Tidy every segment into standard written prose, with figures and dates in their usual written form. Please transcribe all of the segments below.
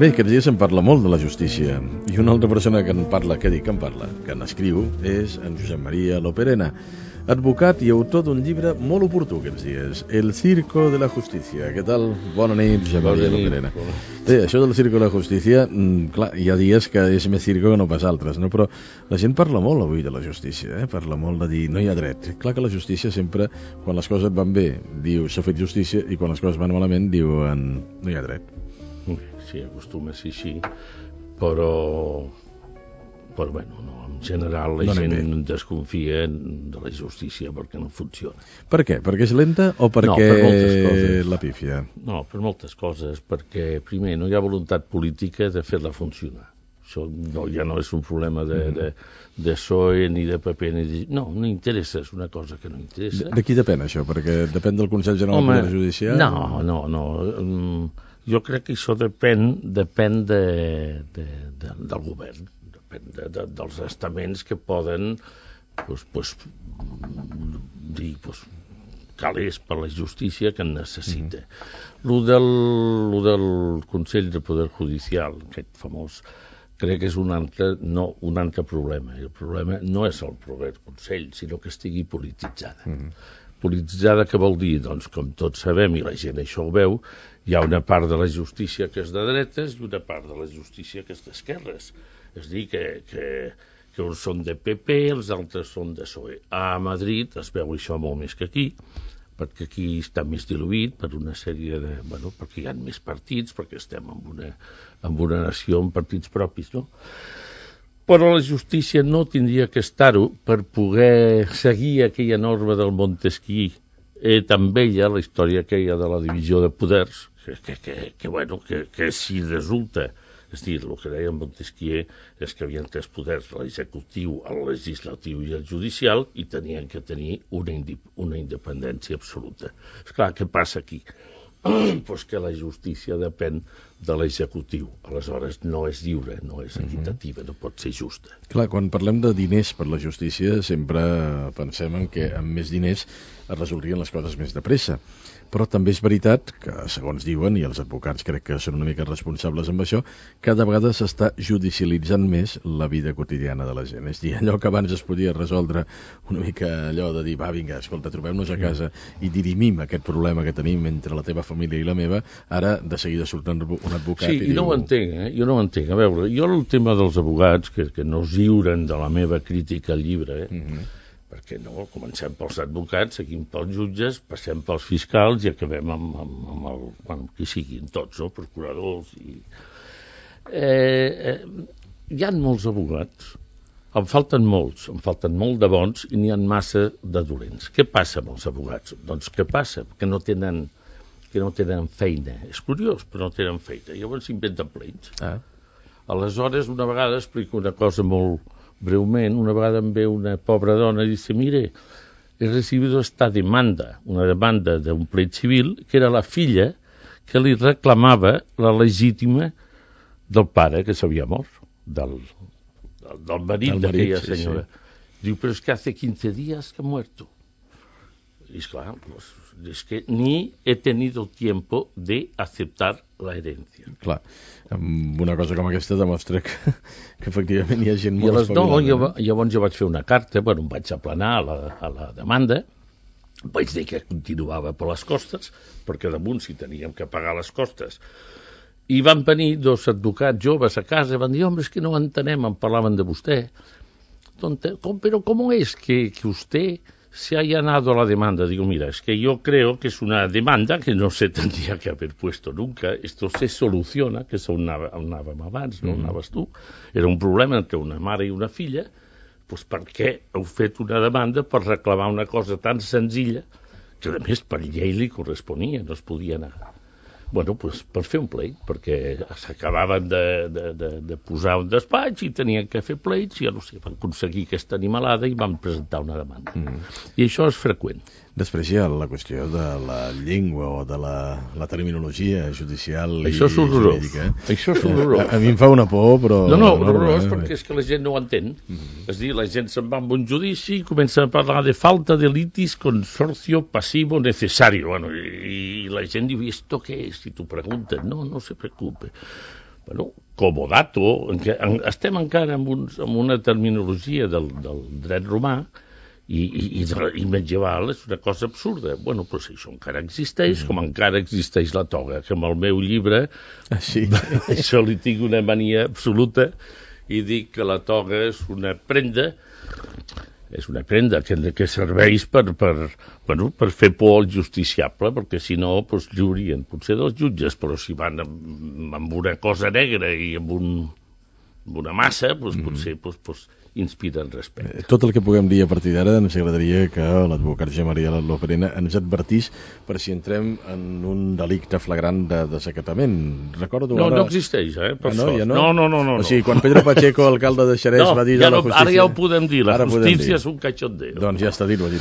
Bé, aquests dies se'n parla molt de la justícia i una altra persona que en parla, que n'escriu, és en Josep Maria Loperena, advocat i autor d'un llibre molt oportú aquests dies, El Circo de la Justícia. Què tal? Bona nit, Josep Maria Loperena. Bé, això del Circo de la Justícia, clar, hi ha dies que és més circo que no pas altres, no? Però la gent parla molt avui de la justícia, parla molt de dir no hi ha dret. Clar que la justícia sempre, quan les coses van bé, diu s'ha fet justícia, i quan les coses van malament diuen no hi ha dret. Sí, acostuma a ser així, però bueno, no, en general la gent desconfia de la justícia perquè no funciona. Per què? Perquè és lenta o perquè la pífia? No, per moltes coses, perquè primer no hi ha voluntat política de fer-la funcionar. Això ja no és un problema de PSOE ni de PP, no interessa, és una cosa que no interessa. De qui depèn això? Perquè depèn del Consell General del Poder Judicial? No. Jo crec que això depèn del govern, depèn dels estaments que poden dir calés per la justícia que en necessita. Lo del Consell de Poder Judicial, aquest famós, crec que és un altre problema. El problema no és el proper Consell, sinó que estigui polititzada. Polititzada què vol dir? Doncs, com tots sabem, i la gent això ho veu, hi ha una part de la justícia que és de dretes i una part de la justícia que és d'esquerres. És a dir, que uns són de PP, els altres són de PSOE. A Madrid es veu això molt més que aquí, perquè aquí està més diluït per una sèrie de... perquè hi ha més partits, perquè estem en una nació amb partits propis, no? Però la justícia no tindria que estar-ho per poder seguir aquella norma del Montesquieu, tan vella, la història aquella de la divisió de poders, que si resulta, és a dir, el que deia Montesquieu és que hi havia tres poders, l'executiu, el legislatiu i el judicial, i tenien que tenir una independència absoluta. Esclar, què passa aquí? Pues que la justícia depèn de l'executiu. Aleshores no és lliure, no és equitativa, no pot ser justa. Clar, quan parlem de diners per la justícia sempre pensem en que amb més diners es resoldrien les coses més de pressa. Però també és veritat que, segons diuen, i els advocats crec que són una mica responsables amb això, cada vegada s'està judicialitzant més la vida quotidiana de la gent. És a dir, allò que abans es podia resoldre una mica allò de dir, va, vinga, escolta, trobem-nos a casa i dirimim aquest problema que tenim entre la teva família i la meva, ara de seguida surt un advocat i diu... Sí, no ho entenc, jo no ho entenc. A veure, jo el tema dels advocats, que no es lliuren de la meva crítica al llibre, perquè no, comencem pels advocats, seguim pels jutges, passem pels fiscals i acabem amb qui siguin tots, no? Procuradors i... hi ha molts advocats, em falten molt de bons i n'hi ha massa de dolents. Què passa amb els advocats? Doncs què passa? Que no tenen feina. És curiós, però no tenen feina. Llavors s'inventen pleits. Aleshores, una vegada, explico una cosa molt breument, una vegada em ve una pobra dona i dice, mire, he recibido esta demanda, una demanda d'un plet civil, que era la filla que li reclamava la legítima del pare que s'havia mort, del marit d'aquella senyora. Sí. Diu, però és que hace 15 días que ha muerto. Y es claro, pues, es que ni he tenido tiempo de aceptar la herencia. Clar, una cosa com aquesta demostra que efectivament hi ha gent molt espavilada. Llavors jo vaig fer una carta, em vaig aplanar a la demanda, vaig dir que continuava per les costes, perquè damunt si teníem que pagar les costes. I van venir dos advocats joves a casa i van dir, home, és que no entenem, em parlaven de vostè. Però com és que usted se haya ganado la demanda? Digo, mira, es que yo creo que es una demanda que no se tendría que haber puesto nunca. Esto se soluciona, que on anàvem abans, no anaves tu. Era un problema entre una mare i una filla. Doncs per què heu fet una demanda per reclamar una cosa tan senzilla que, a més, per llei li corresponia, no es podia negar. Bueno, doncs per fer un pleit, perquè s'acabaven de posar un despatx i tenien que fer pleits, i ja no sé, van aconseguir aquesta animalada i van presentar una demanda. I això és freqüent. Després hi ha la qüestió de la llengua o de la terminologia judicial això és horrorós. Jurídica. Això és horrorós. A mi em fa una por, però... No, horrorós, perquè és que la gent no ho entén. És a dir, la gent se'n va amb un judici i comença a parlar de falta de litis consorcio pasivo necesario. Bueno, i la gent diu, ¿esto qué es? Si tu preguntes, no se preocupe. comodato, estem encara en una terminologia del dret romà, i medieval és una cosa absurda. Bueno, doncs això encara existeix, com encara existeix la toga, que amb el meu llibre això li tinc una mania absoluta i dic que la toga és una prenda que serveix per fer por al justiciable, perquè si no lluirien potser dels jutges, però si van amb una cosa negra i amb una massa, potser inspiren respecte. Tot el que puguem dir a partir d'ara ens agradaria que l'advocat Josep Maria Loperena ens advertís per si entrem en un delicte flagrant de desacatament. Recordo ara... No existeix, per sort. Ja no? No. O sigui, quan Pedro Pacheco, alcalde de Xerès, va dir a la justícia... Ara ja ho podem dir, la justícia és un cachondeo. Doncs ja està dit, ho ha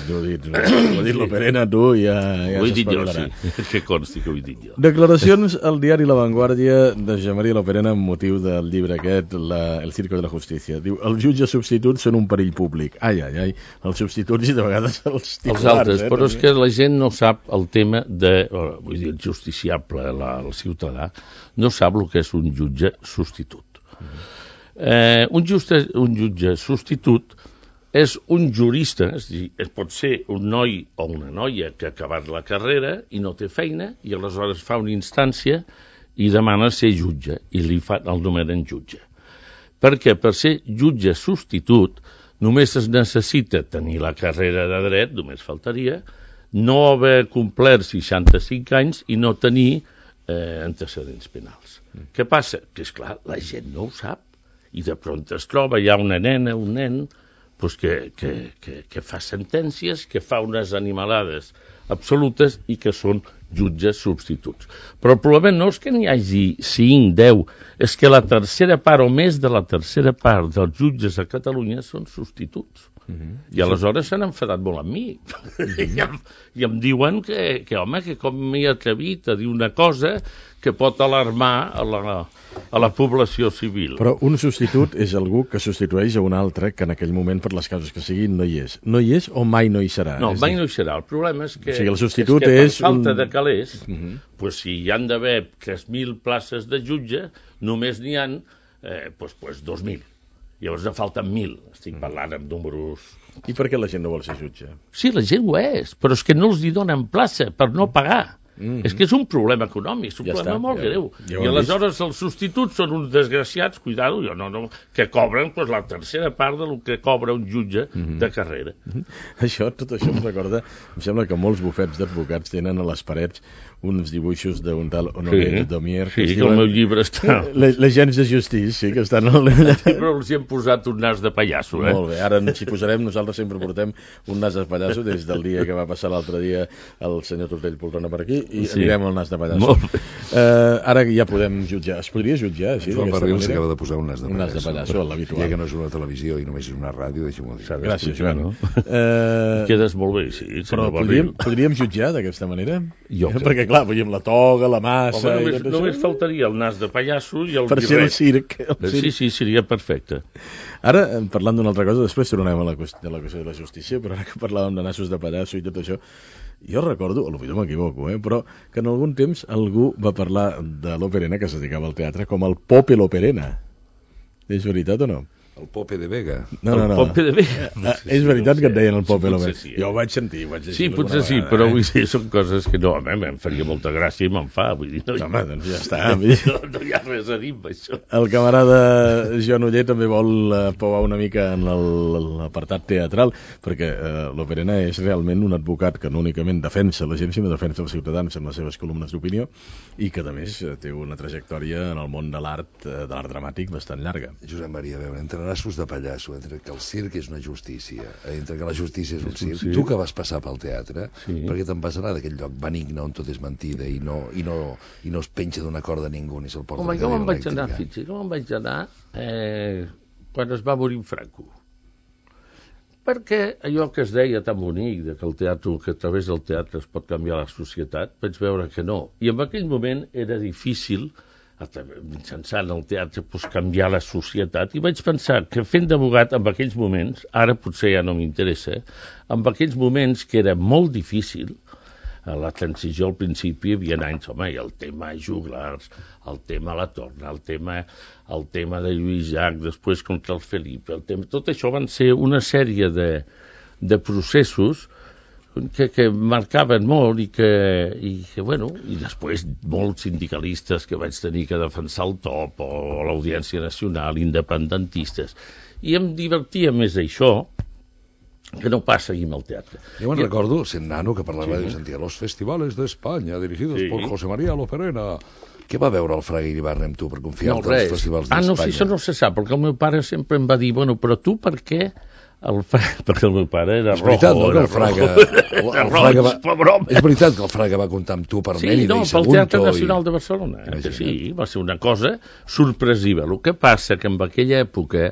dit Loperena, tu, ja s'espavilarà. Sí, que consti que ho he dit jo. Declaracions al diari La Vanguardia de Josep Maria Loperena amb motiu del llibre aquest, El Circo de la Justícia. Diu, els jutges substituts són un perill públic. Ai, els substituts i de vegades els titulars. Els altres, però és que la gent no sap el tema vull dir, el justiciable, el ciutadà, no sap el que és un jutge substitut. Un jutge substitut és un jurista, és a dir, pot ser un noi o una noia que ha acabat la carrera i no té feina i aleshores fa una instància i demana ser jutge i el nomenen jutge. Perquè per ser jutge substitut només es necessita tenir la carrera de dret, només faltaria, no haver complert 65 anys i no tenir antecedents penals. Què passa? Que, esclar, la gent no ho sap i de prompt es troba ja una nena, un nen, que fa sentències, que fa unes animalades absolutes i que són jutges substituts. Però el problema no és que n'hi hagi 5, 10, és que la tercera part o més de la tercera part dels jutges a Catalunya són substituts. I aleshores s'han enfadat molt amb mi. I em diuen que com m'he atrevit a dir una cosa que pot alarmar a la població civil. Però un substitut és algú que substitueix a un altre que en aquell moment, per les causes que siguin, no hi és. No hi és o mai no hi serà? No, mai no hi serà. El problema és que, el substitut per falta de calés, si hi han d'haver 3.000 places de jutge, només n'hi ha 2.000. Llavors en falten 1.000. Estic parlant amb números... I per què la gent no vol ser jutge? Sí, la gent ho és, però és que no els hi donen plaça per no pagar. És que és un problema econòmic, és un problema molt greu. I aleshores els substituts són uns desgraciats, cuidado, que cobren la tercera part del que cobra un jutge de carrera. Tot això em recorda, em sembla que molts bufets d'advocats tenen a les parets uns dibuixos d'un tal Honoré Domier. Sí, que el meu llibre està... L'agents de justícia, que estan... Però els hi hem posat un nas de pallasso, Molt bé, ara ens hi posarem, nosaltres sempre portem un nas de pallasso des del dia que va passar l'altre dia el senyor Tortell Poltrona per aquí i anirem al nas de pallasso. Ara ja podem jutjar. Es podria jutjar així? Joan Barrils acaba de posar un nas de pallasso. Un nas de pallasso, l'habitual. Ja que no és una televisió i només és una ràdio, deixa'm-ho dir. Gràcies, Joan. Quedes molt bé, sí. Però podríem jutjar d'aquesta manera? Jo crec. Perquè, clar, veiem la toga, la massa... Només faltaria el nas de pallasso i el per ser el circ. Sí, seria perfecte. Ara, parlant d'una altra cosa, després tornem a la qüestió de la justícia, però ara que parlàvem de nassos de pallasso i tot això, jo recordo, potser m'equivoco, però que en algun temps algú va parlar de Loperena, que es dedicava al teatre, com el Pope Loperena. És veritat o no? El Pope de Vega. No. Pope de Vega. És veritat que et deien el Pope Loperena. Sí. Jo ho vaig sentir. Sí, potser sí, però vull dir, són coses que no, em faria molta gràcia i me'n fa. Vull dir, home, doncs ja està. No hi ha res a dir amb això. El camarada Joan Oller també vol pouar una mica en l'apartat teatral, perquè Loperena és realment un advocat que no únicament defensa la gent, sinó defensa els ciutadans en les seves columnes d'opinió i que, a més, té una trajectòria en el món de l'art dramàtic bastant llarga. Josep Maria, a veure, entre nassos de pallasso, entre que el circ és una justícia, entre que la justícia és un circ, Sí. Tu que vas passar pel teatre, perquè te'n vas anar d'aquell lloc benigne on tot és mentida i no es penja d'una corda ningú ni se'l porta. Home, jo me'n vaig anar, quan es va morir Franco. Perquè allò que es deia tan bonic, que a través del teatre es pot canviar la societat, vaig veure que no. I en aquell moment era difícil, mitjançant el teatre, canviar la societat, i vaig pensar que fent d'abogat en aquells moments, ara potser ja no m'interessa, en aquells moments que era molt difícil, A la transició al principi hi havia anys, home, i el tema juglars, el tema la Torna, el tema de Lluís Llach, després contra el Felip, tot això van ser una sèrie de processos que marcaven molt i després molts sindicalistes que vaig tenir que defensar el TOP o l'Audiència Nacional, independentistes, i em divertia més això que no pas seguir amb el teatre. Jo me'n recordo, sent nano, que per la ràdio sentia los festivales de España dirigidos por José María Loperena. Què va veure el Fraga Iribarne amb tu per confiar-te als festivals d'Espanya? No, sí, això no se sap, perquè el meu pare sempre em va dir, bueno, però tu per què? Perquè el meu pare era rojo. És veritat, no, que el Fraga va... És veritat que el Fraga va comptar amb tu per Mérida i Sagunto. Sí, no, pel Teatre Nacional de Barcelona. Sí, va ser una cosa sorpresiva. El que passa que en aquella època,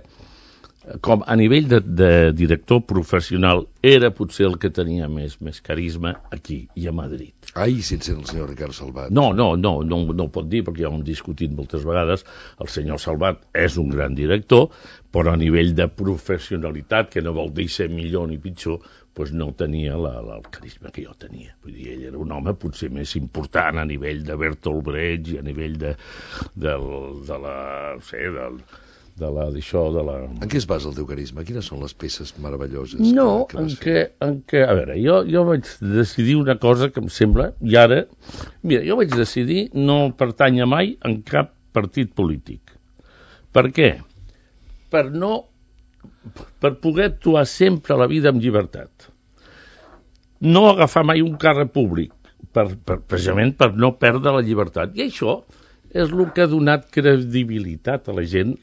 com a nivell de director professional, era potser el que tenia més carisma aquí i a Madrid. Ai, sense el senyor Ricard Salvat. No ho pot dir, perquè ja ho hem discutit moltes vegades. El senyor Salvat és un gran director, però a nivell de professionalitat, que no vol dir ser millor ni pitjor, doncs no tenia el carisma que jo tenia. Vull dir, ell era un home potser més important a nivell de Bertolt Brecht i a nivell En què es basa el teu carisma? Quines són les peces meravelloses que vas fer? A veure, jo vaig decidir una cosa que em sembla, i ara, mira, jo vaig decidir no pertànyer mai en cap partit polític. Per què? Per poder actuar sempre a la vida amb llibertat. No agafar mai un càrrec públic, precisament per no perdre la llibertat. I això és el que ha donat credibilitat a la gent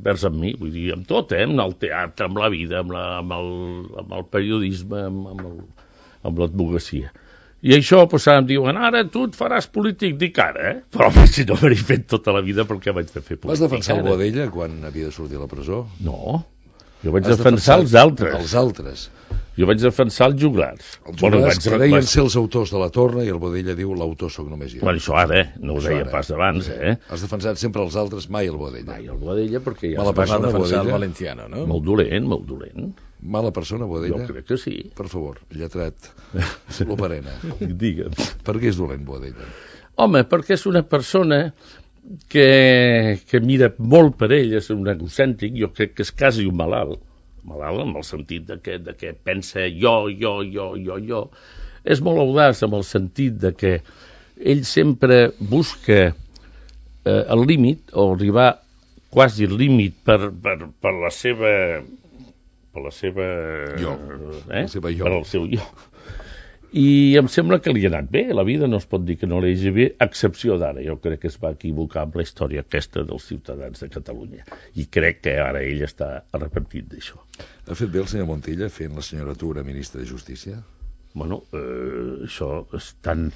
vers amb mi, vull dir, amb tot, amb el teatre, amb la vida, amb el periodisme, amb l'advocacia. I això, doncs, em diuen, ara tu et faràs polític, dic ara, però si no m'he fet tota la vida, per què vaig de fer polític? Vas defensar el Boadella quan havia de sortir a la presó? No, jo vaig defensar els altres. Els altres. Jo vaig defensar els juglars. Els juglars que deien ser els autors de la Torna i el Boadella diu l'autor soc només jo. Bueno, això ara, no ho deia pas abans, Has defensat sempre els altres, mai el Boadella. Mai el Boadella, perquè ja... Mala persona, defensar el Valenciano, no? Molt dolent. Mala persona, Boadella? Jo crec que sí. Per favor, lletrat Loperena. Digue'm. Per què és dolent, Boadella? Home, perquè és una persona que mira molt per ell, és un egocèntric, jo crec que és quasi un malalt en el sentit de que pensa jo. És molt audaç en el sentit de que ell sempre busca el límit, o arribar quasi al límit per la seva... per el seu jo. I em sembla que li ha anat bé, la vida no es pot dir que no li hagi bé, a excepció d'ara. Jo crec que es va equivocar amb la història aquesta dels ciutadans de Catalunya, i crec que ara ell està arrepentit d'això. Ha fet bé el senyor Montilla fent la senyora Tura ministra de Justícia? Bueno, això és tan...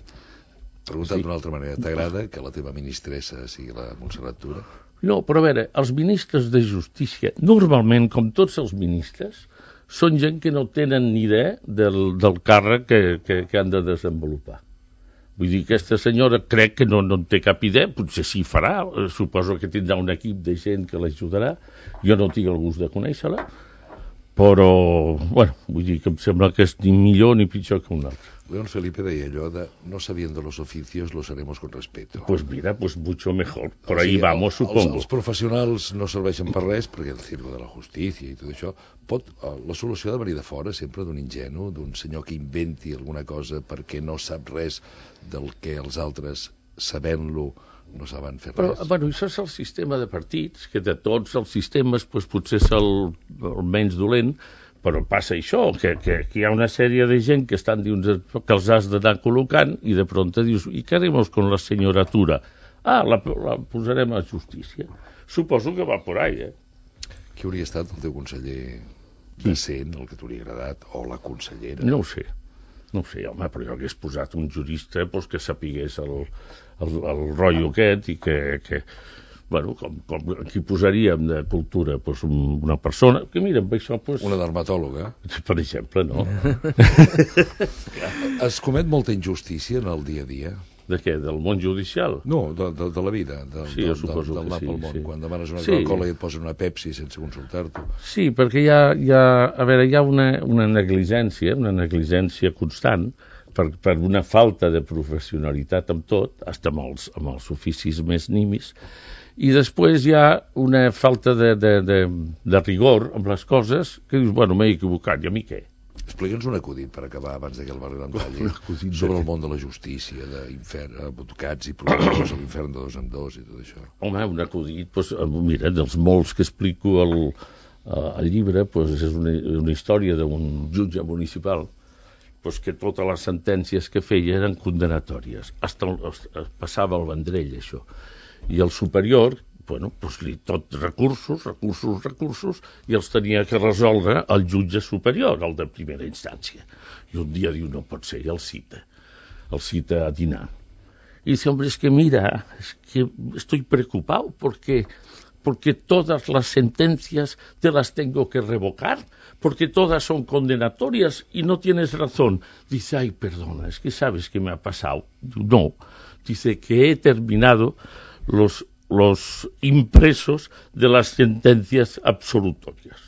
Preguntat d'una altra manera, t'agrada que la teva ministressa sigui la Montserrat Tura? No, però a veure, els ministres de Justícia, normalment, com tots els ministres, són gent que no tenen ni idea del càrrec que han de desenvolupar. Vull dir, aquesta senyora crec que no en té cap idea, potser sí farà, suposo que tindrà un equip de gent que l'ajudarà, jo no tinc el gust de conèixer-la, però, bueno, vull dir que em sembla que és ni millor ni pitjor que un altre. León Felipe deia allò de no sabiendo los oficios los haremos con respeto. Pues mira, pues mucho mejor. Por ahí vamos, supongo. Els professionals no serveixen per res, perquè el circo de la justícia i tot això, la solució ha de venir de fora, sempre d'un ingenu, d'un senyor que inventi alguna cosa perquè no sap res del que els altres, sabent-lo, no saben fer res. Però, bueno, això és el sistema de partits, que de tots els sistemes potser és el menys dolent, però passa això, que hi ha una sèrie de gent que estan dins que els has d'anar col·locant i de pronto dius, i què haremos con la senyora Tura? La posarem a justícia. Suposo que va por ahí, Qui hauria estat el teu conseller decent, el que t'hauria agradat, o la consellera? No ho sé, home, però jo hagués posat un jurista que sapigués el rotllo aquest i que bueno, com aquí posaríem de cultura, una persona que mira, amb això... Una dermatòloga. Per exemple, no? Es comet molta injustícia en el dia a dia? De què? Del món judicial? No, de la vida, sí, jo suposo que sí. Pel món. Sí. Quan demanes una Coca-Cola i et posen una Pepsi sense consultar-t'ho. Sí, perquè hi ha una negligència constant per una falta de professionalitat amb tot, fins amb els oficis més nimis, i després hi ha una falta de rigor amb les coses que dius, bueno, m'he equivocat, i a mi què? Explica'ns un acudit per acabar abans que el Bernat talli sobre el món de la justícia, d'advocats i procuradors a l'infern de 2 en 2 i tot això. Home, un acudit, doncs, mira, dels molts que explico al llibre, doncs, és una història d'un jutge municipal doncs que totes les sentències que feia eren condenatòries. Passava al Vendrell, això. I el superior, bueno, doncs tot recursos, i els tenia que resoldre el jutge superior, el de primera instància. I un dia diu, no pot ser, i el cita a dinar. Y dice, hombre, es que mira, es que estoy preocupado porque todas las sentencias te las tengo que revocar, porque todas son condenatorias y no tienes razón. Dice, ay, perdona, es que sabes qué me ha pasado. No, dice que he terminado los impresos de las sentencias absolutorias.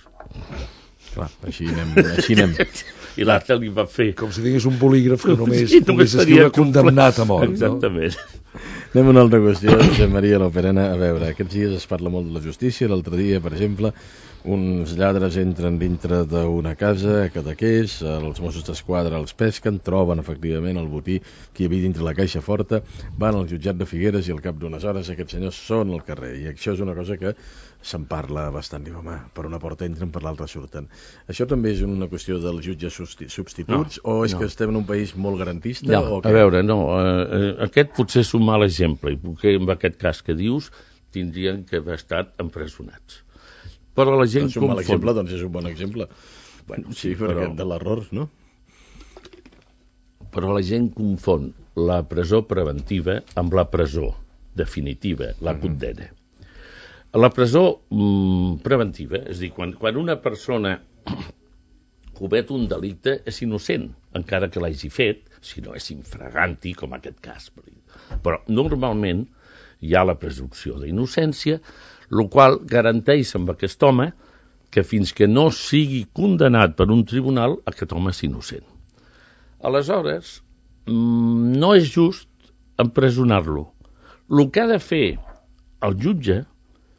Clar, així anem. I l'altre li va fer... Com si digués un bolígraf que només pogués escriure condemnat a mort. Exactament. No? Anem a una altra qüestió, Josep Maria Loperena. A veure, aquests dies es parla molt de la justícia. L'altre dia, per exemple, uns lladres entren dintre d'una casa a Cadaqués, els Mossos d'Esquadra els pesquen, troben efectivament el botí que hi havia dintre la caixa forta, van al jutjat de Figueres i al cap d'unes hores aquests senyors són al carrer. I això és una cosa que se'n parla bastant. Diu, home, per una porta entren, per l'altra surten. Això també és una qüestió dels jutges substituts o és que estem en un país molt garantista? No, a veure, no. Aquest potser és un mal exemple, i perquè en aquest cas que dius tindrien que haver estat empresonats. Però la gent confon... un mal exemple, doncs és un bon exemple. Bueno, sí, però de l'error, no? Però la gent confon la presó preventiva amb la presó definitiva, la condena. La presó preventiva, és a dir, quan una persona comet un delicte és innocent, encara que l'hagi fet, si no és infraganti, com aquest cas. Però normalment hi ha la presumpció d'innocència, el qual garanteix amb aquest home que fins que no sigui condemnat per un tribunal, aquest home és innocent. Aleshores, no és just empresonar-lo. El que ha de fer el jutge,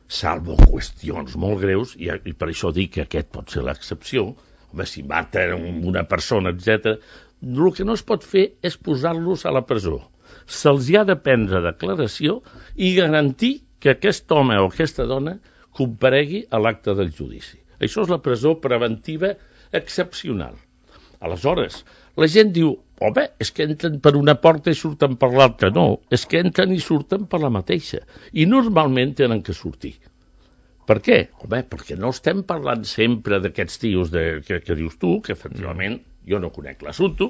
salvo qüestions molt greus, i per això dic que aquest pot ser l'excepció, home, si mata una persona, etc., el que no es pot fer és posar-los a la presó. Se'ls ha de prendre declaració i garantir que aquest home o aquesta dona comparegui a l'acte del judici. Això és la presó preventiva excepcional. Aleshores, la gent diu, home, és que entren per una porta i surten per l'altra. No, és que entren i surten per la mateixa. I normalment tenen que sortir. Per què? Home, perquè no estem parlant sempre d'aquests tios que dius tu, que efectivament jo no conec l'assumpte,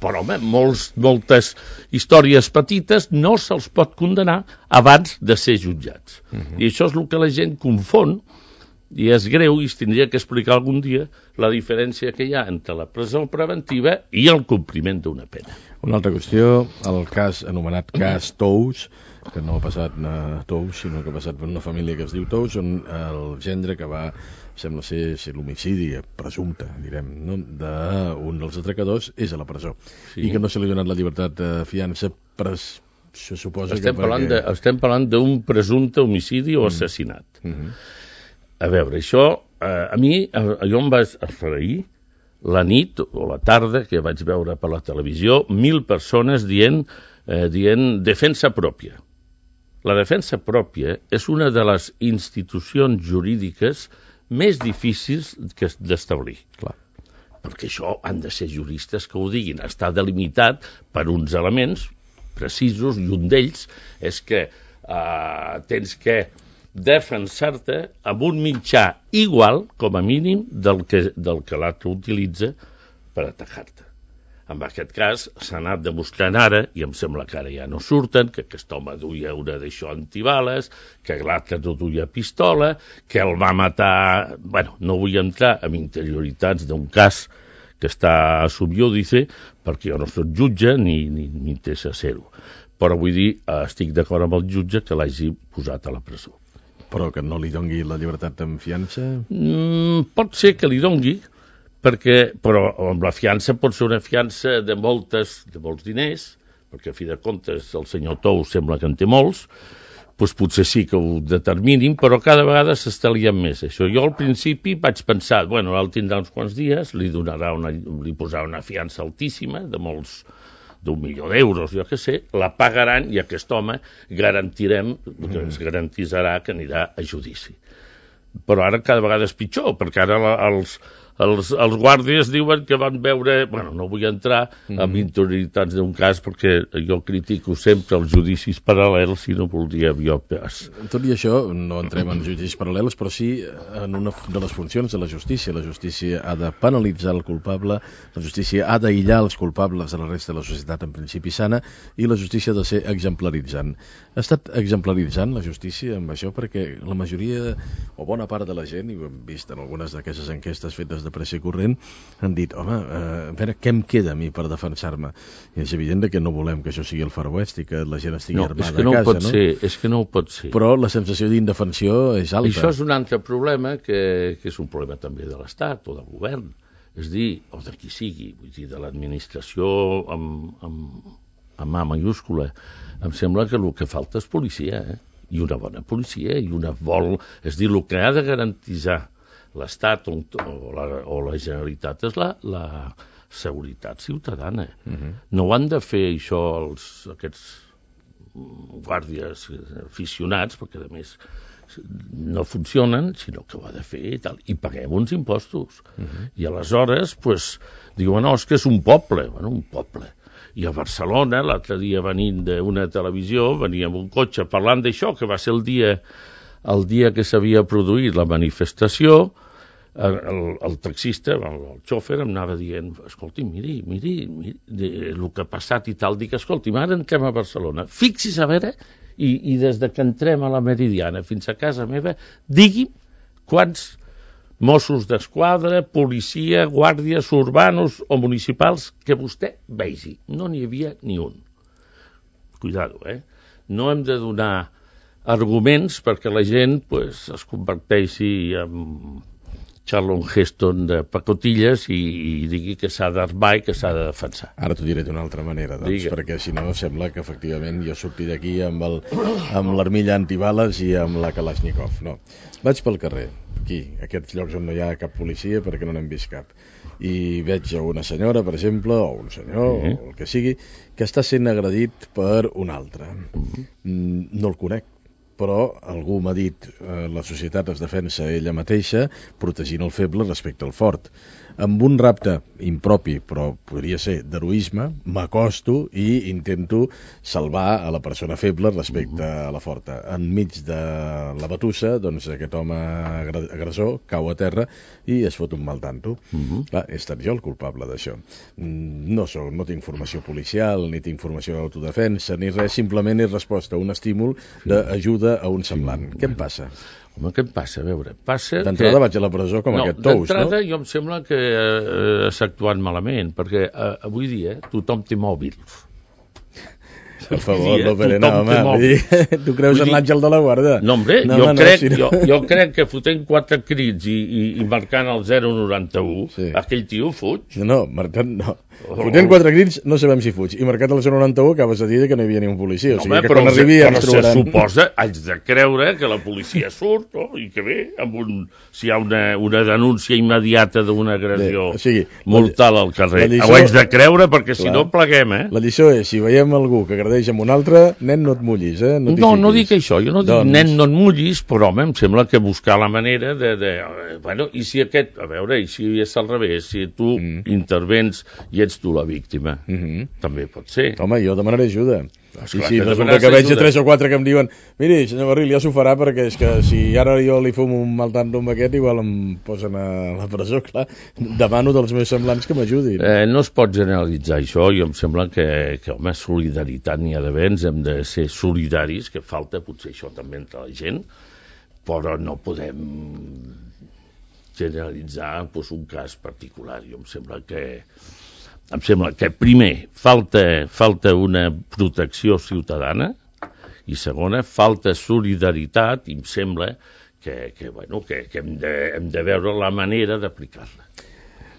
però home, moltes històries petites no se'ls pot condenar abans de ser jutjats. I això és el que la gent confon, i és greu, i es tindria que explicar algun dia la diferència que hi ha entre la presó preventiva i el compliment d'una pena. Una altra qüestió, el cas anomenat cas Tous, que no ha passat a Tous, sinó que ha passat per una família que es diu Tous, on el gendre que va, sembla ser l'homicidi presumpte, direm, no? d'un dels atracadors és a la presó. Sí. I que no se li ha donat la llibertat de fiança, se suposa estem parlant d'un presumpte homicidi o assassinat. A veure, això, a mi, jo em vaig aferir la nit o la tarda que vaig veure per la televisió 1.000 persones dient defensa pròpia. La defensa pròpia és una de les institucions jurídiques més difícils d'establir. Clar. Perquè això han de ser juristes que ho diguin. Està delimitat per uns elements precisos i un d'ells és que tens que defensar-te amb un mitjà igual, com a mínim, del que l'altre utilitza per atacar-te. En aquest cas, s'ha anat demostrant ara, i em sembla que ara ja no surten, que aquest home duia una d'això antibales, que l'altre no duia pistola, que el va matar... Bueno, no vull entrar en interioritats d'un cas que està a subiúdice, perquè jo no soc jutge ni m'interessa ser-ho. Però vull dir, estic d'acord amb el jutge que l'hagi posat a la presó. Però que no li dongui la llibertat en fiança? Pot ser que li dongui, però amb la fiança pot ser una fiança de molts diners, perquè a fi de comptes el senyor Tou sembla que en té molts, doncs potser sí que ho determinin, però cada vegada s'està liant més això. Jo al principi vaig pensar, bueno, el tindrà uns quants dies, li posarà una fiança altíssima d'1 milió d'euros, jo què sé, la pagaran i aquest home ens garantirà que anirà a judici. Però ara cada vegada és pitjor, perquè ara els guàrdies diuen que van veure... Bueno, no vull entrar en interioritats d'un cas perquè jo critico sempre els judicis paral·lels i no voldria jo pas. Tot i això, no entrem en judicis paral·lels, però sí en una de les funcions de la justícia. La justícia ha de penalitzar el culpable, la justícia ha d'aïllar els culpables de la resta de la societat en principi sana i la justícia ha de ser exemplaritzant. Ha estat exemplaritzant la justícia amb això perquè la majoria o bona part de la gent, i ho hem vist en algunes d'aquestes enquestes fetes de pressa i corrent, han dit, home, a veure, què em queda a mi per defensar-me? I és evident que no volem que això sigui el Far West i que la gent estigui armada a casa, no? És que no ho pot ser. Però la sensació d'indefensió és alta. Això és un altre problema que és un problema també de l'Estat o del govern, és dir, o de qui sigui, vull dir, de l'administració amb A mayúscula. Em sembla que el que falta és policia, i una bona policia, és dir, el que ha de garantitzar l'Estat o la Generalitat és la seguretat ciutadana. No ho han de fer això aquests guàrdies aficionats, perquè a més no funcionen, sinó que ho ha de fer i tal, i paguem uns impostos. I aleshores, diuen, no, és que és un poble. Bueno, un poble. I a Barcelona, l'altre dia venint d'una televisió, venia amb un cotxe parlant d'això, que va ser el dia que s'havia produït la manifestació, el taxista, el xòfer, em anava dient, escolti, miri el que ha passat i tal, dic, escolti, ara entrem a Barcelona, fixis a veure, i des de que entrem a la Meridiana fins a casa meva, digui'm quants Mossos d'Esquadra, policia, guàrdies urbanos o municipals que vostè vegi. No n'hi havia ni un. Cuidado, No hem de donar arguments perquè la gent es converteixi en Charlton Heston de pacotilles i digui que s'ha d'armar i que s'ha de defensar. Ara t'ho diré d'una altra manera, perquè si no sembla que efectivament jo surti d'aquí amb l'armilla antibales i amb la Kalashnikov. No, vaig pel carrer, aquí, aquests llocs on no hi ha cap policia perquè no n'hem vist cap, i veig a una senyora, per exemple, o un senyor, o el que sigui, que està sent agredit per un altre. No el conec, però algú m'ha dit la societat es defensa ella mateixa protegint el feble respecte al fort. Amb un rapte impropi, però podria ser d'heroisme, m'acosto i intento salvar a la persona feble respecte a la forta. Enmig de la batussa, doncs aquest home agressor cau a terra i es fot un mal tanto. Clar, he estat jo el culpable d'això. No tinc formació policial, ni tinc formació d'autodefensa, ni res, simplement he respost a un estímul d'ajuda a un semblant. Què em passa? Home, què em passa? A veure, d'entrada vaig a la presó com aquest tous, no? D'entrada jo em sembla que s'ha actuat malament, perquè avui dia tothom té mòbils. Per favor, l'Operena, home. Tu creus en l'àngel de la guarda? No, hombre, jo crec que fotent 4 crits i marcant el 091, aquell tio fuig. No, marcant no. Fotent 4 crits no sabem si fuig. I marcat el 091 acabes de dir que no hi havia ni un policia. O sigui que quan arribi ens trobaran... se suposa, haig de creure que la policia surt, i que bé, si hi ha una denúncia immediata d'una agressió mortal al carrer. Ho haig de creure perquè si no pleguem, La lliçó és, si veiem algú que agredeix amb un altre, nen, no et mullis, No dic això, jo no dic nen, no et mullis, però home, em sembla que buscar la manera bueno, i si aquest, a veure, i si és al revés, si tu intervens i ets tu la víctima, també pot ser. Home, jo demanaré ajuda. I si resulta que veig 3 o 4 que em diuen, miri, senyor Barril, ja s'ho farà perquè és que si ara jo li fumo un mal tanto amb aquest, igual em posen a la presó, clar. Demano dels meus semblants que m'ajudin. No es pot generalitzar això, i em sembla que home, solidaritat n'hi ha d'haver, ens hem de ser solidaris, que falta potser això també entre la gent, però no podem generalitzar un cas particular. Jo em sembla que primer falta una protecció ciutadana i segona, falta solidaritat i em sembla que hem de veure la manera d'aplicar-la.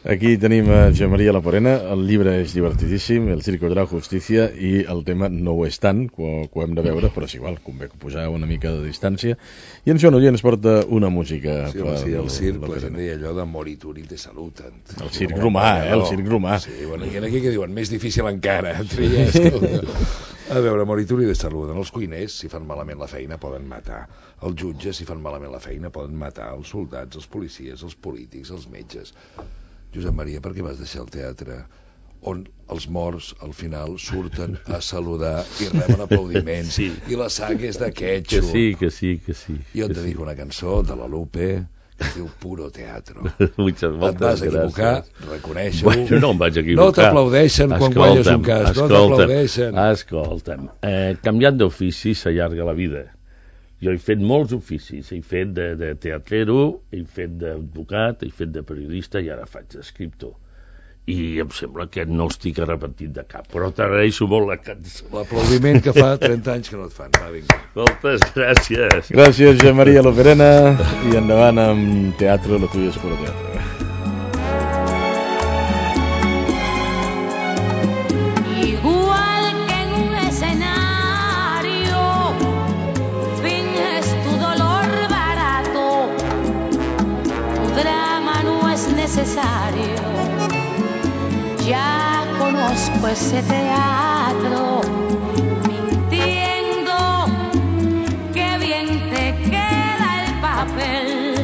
Aquí tenim a Josep Maria Loperena, el llibre és divertidíssim, El circo de la justícia, i el tema no ho és tant, que ho hem de veure, però és igual, convé posar una mica de distància. I en Joan Oller ens porta una música. Sí, el circ, la gent deia allò de morituri de salut. El circ romà, el circ romà. Sí, bueno, i aquí que diuen, més difícil encara, tries. A veure, morituri de salut. Els cuiners, si fan malament la feina, poden matar. Els jutges, si fan malament la feina, poden matar. Els soldats, els policies, els polítics, els metges. Josep Maria, per què vas deixar el teatre on els morts al final surten a saludar i reben aplaudiments i la sang és de quetxo? Que sí. Jo et dedico una cançó de la Lupe que es diu Puro Teatro. Moltes et vas equivocar, reconeixo-ho. Bueno, no em vaig equivocar. No t'aplaudeixen quan guanyes un cas, no t'aplaudeixen. Escolta'm, canviant d'ofici s'allarga la vida. Jo he fet molts oficis, he fet de teatrero, he fet d'advocat, he fet de periodista i ara faig d'escriptor. I em sembla que no estic arrepentit de cap, però t'agraeixo molt la cançó. L'aplaudiment que fa 30 anys que no et fan. Va, vinga. Moltes gràcies. Gràcies, Josep Maria Loperena, i endavant amb teatre, lo tuyo es puro teatro. Ya conozco ese teatro, mintiendo, qué bien te queda el papel.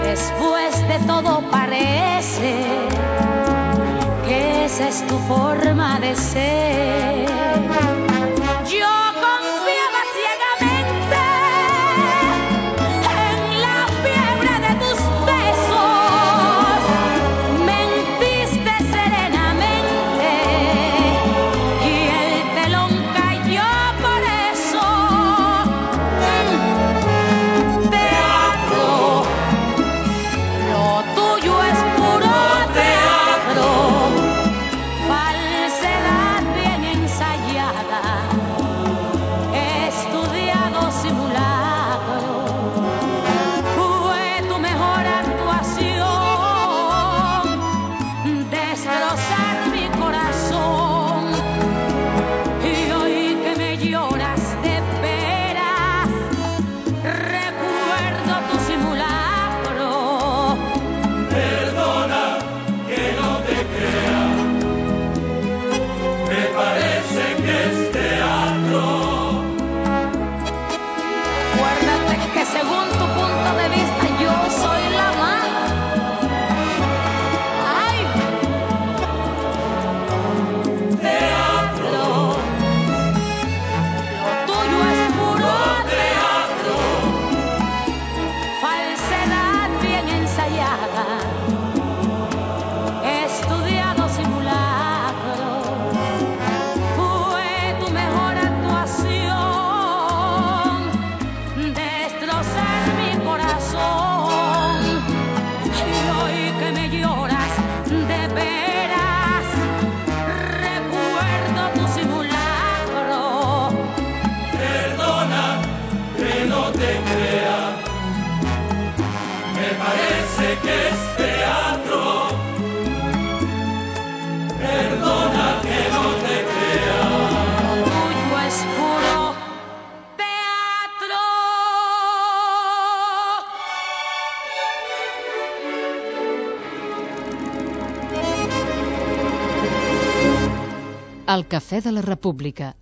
Después de todo parece que esa es tu forma de ser. Yo confiaba ciegamente en la fiebre de tus besos, mentiste serenamente y el telón cayó por eso. Teatro, lo tuyo es puro teatro, falsedad bien ensayada, estudiado simulacro. Fue tu mejor actuación, destrozar mi corazón. Y hoy que me lloras de veras, recuerdo tu simulacro. Perdona que no te crea, me parece que es teatro. Acuérdate que según tu punto de vista yo soy la mala. Ay, teatro, lo tuyo es puro teatro, falsedad bien ensayada, estudiado simulacro. Fue tu mejor actuación, destrozar mi corazón. Y hoy que me lloras de veras, recuerdo tu simulacro. Perdona que no te crea, me parece que es teatro. Perdona que no te crea. Lo tuyo es puro teatro. El Cafè de la República,